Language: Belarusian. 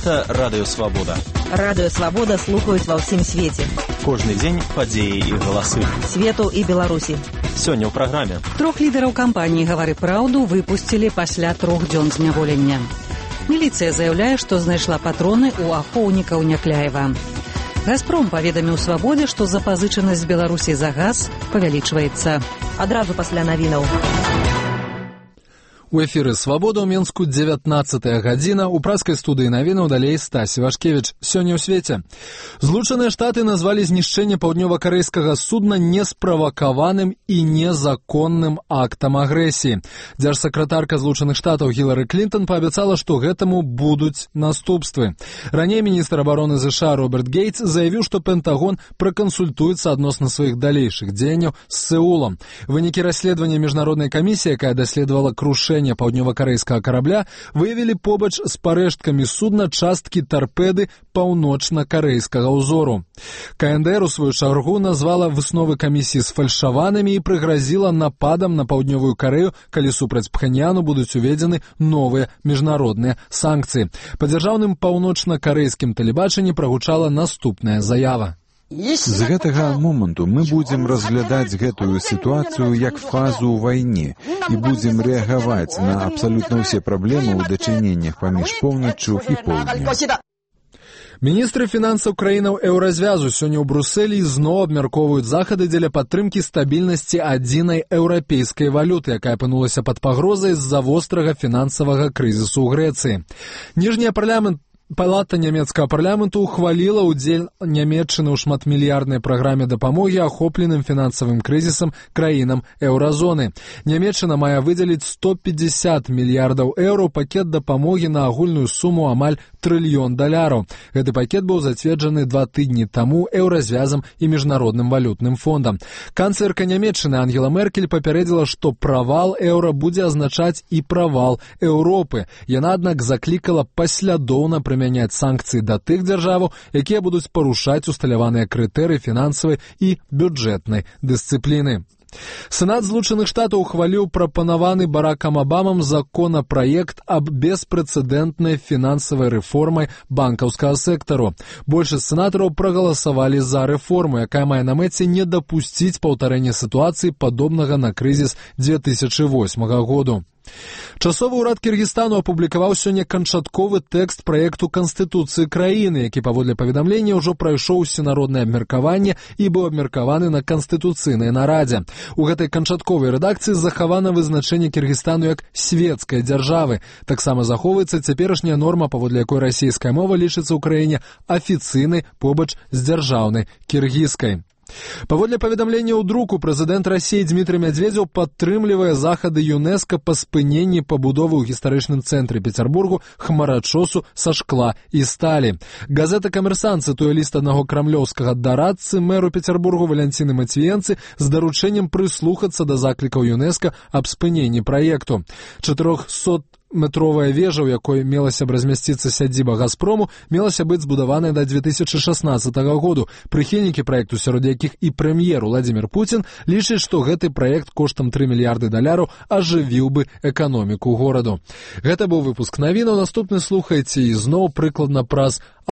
Гэта Радыё Свабода. Радыё Свабода слухаюць ва ўсім свеце. Кожны дзень падзеі і галасы. Свету і Беларусі. Сёння ў праграме. 3 лідараў кампаніі «Гавары праўду» выпусцілі пасля 3 дзён зняволення. Міліцыя заяўляе, што знайшла патроны ў ахоўнікаў Някляева. «Газпром» паведаміў «Свабодзе», што запазычанасць Беларусі за газ павялічваецца. Адразу пасля навінаў. У эфіры «Свабода» ў Менску 19 гадзіна. У праскай студыі навінаў далей Стась Івашкевіч. Сёння ў свеце. Злучаныя Штаты назвалі знішчэнне паўднёва-карэйскага судна несправакаваным і незаконным актам агрэсіі. Дзяржсакратарка Злучаных Штатаў Гілары Клінтон паабяцала, што гэтаму будуць наступствы. Раней міністр абароны ЗША Роберт Гейтс заявіў, што Пентагон пракансультуецца адносна сваіх далейшых дзеянняў з Сеулам. Вынікі расследавання міжнароднай камісіі, якая даследавала крушэнне паўднёва-карэйскага карабля, выявілі побач з парэшткамі судна часткі тарпеды паўночна-карэйскага ўзору. КНДР у сваю чаргу назвала высновы камісіі сфальшаванымі і прыгразіла нападам на паўднёвую Карэю, калі супраць Пхеньяну будуць уведзены новыя міжнародныя санкцыі. Па дзяржаўным паўночна-карэйскім тэлебачанні прагучала наступная заява. З гэтага моманту мы будзем разглядаць гэтую сітуацыю як фазу ў вайне і будзем рэагаваць на абсалютна ўсе праблемы ў дачыненнях паміж поўначчу і поўднем. Міністры фінансаў краінаў еўразвязу сёння ў Брусэлі зноў абмяркоўваюць захады дзеля падтрымкі стабільнасці адзінай еўрапейскай валюты, якая апынулася пад пагрозай з-за вострага фінансавага крызісу ў Грэцыі. Ніжняя Палата нямецкага парламенту ухваліла ўдзел Нямецчыны ў шматмільярднай праграме дапамогі ахопленым фінансавым крызісам краінам еўразоны. Нямецчына мае выдзеліць 150 мільярдаў еўро пакет дапамогі на агульную суму амаль $1 трыльён. Гэты пакет быў зацверджаны 2 тыдні таму еўразвязам і міжнародным валютным фондам. Канцлерка Нямецчыны Ангела Меркель папярэдзіла, што правал еўра будзе азначаць і правал Еўропы. Яна, аднак, заклікала паслядоўна прымяняць санкцыі да тых дзяржаваў, якія будуць парушаць усталяваныя крытэрыі фінансавай і бюджэтнай дысцыпліны. Сенат Злучаных Штатаў ухваліў прапанаваны Баракам Абамам законапраект аб беспрэцэдэнтнай фінансавай рэформай банкаўскага сектару. Большасць сенатараў прагаласавалі за рэформу, якая мае на мэце не дапусціць паўтарэння сітуацыі падобнага на крызіс 2008 году. Часовы ўрад Кіргізстану апублікаваў сёння канчатковы тэкст праекту Канстытуцыі краіны, які паводле паведамлення ўжо прайшоў усенароднае абмеркаванне і быў абмеркаваны на канстытуцыйнай нарадзе. У гэтай канчатковай рэдакцыі захавана вызначэнне Кіргізстану як свецкай дзяржавы. Таксама захоўваецца цяперашняя норма, паводле якой расійская мова лічыцца ў краіне афіцыйнай побач з дзяржаўнай кіргізскай. Паводле паведамлення ў друку, прэзідэнт Расіі Дмітрый Мядзведзеў падтрымлівае захады ЮНЕСКА па спыненні пабудовы ў гістарычным цэнтры Пецярбургу хмарачосу са шкла і сталі. Газета «Камерсант» цытуе ліст аднаго крамлёўскага дарадцы мэру Пецярбургу Валянціны Мацвіенцы з даручэннем прыслухацца да заклікаў ЮНЕСКА аб спыненні праекту. 400-метровая вежа, у якой мелася б размясціцца сядзіба «Газпрому», мелася быць збудаваная да 2016 году. Прыхільнікі праекту, сярод якіх і прэм'ер Владзімір Пуцін, лічаць, што гэты праект коштам $3 мільярды ажывіў бы эканоміку гораду. Гэта быў выпуск навінаў. Наступны слухайце і зноў прыкладна праз